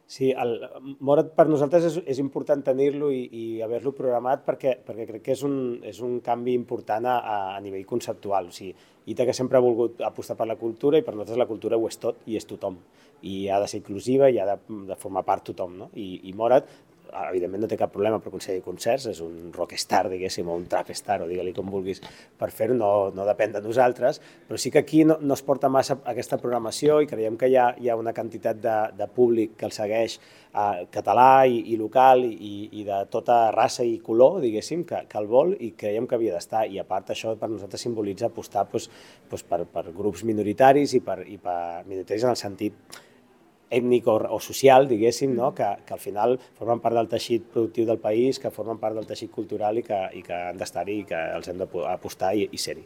Sí, Morat per nosaltres és important tenir-lo i haver-lo programat perquè crec que és un canvi important a nivell conceptual. O sigui, Ítaca sempre ha volgut apostar per la cultura i per nosaltres la cultura ho és tot i és tothom. I ha de ser inclusiva i ha de formar part tothom, no? I Morat, evidentment no té cap problema per aconseguir concerts, és un rockstar, diguéssim, o un trapstar, o digue-li com vulguis, per fer-ho, no depèn de nosaltres, però sí que aquí no es porta massa aquesta programació i creiem que hi ha una quantitat de públic que el segueix català i local i de tota raça i color, diguéssim, que el vol i creiem que havia d'estar. I a part això per nosaltres simbolitza apostar per grups minoritaris i per minoritaris en el sentit ètnic o social, diguéssim, no? Que al final formen part del teixit productiu del país, que formen part del teixit cultural i que han d'estar-hi i que els hem d'apostar i ser-hi.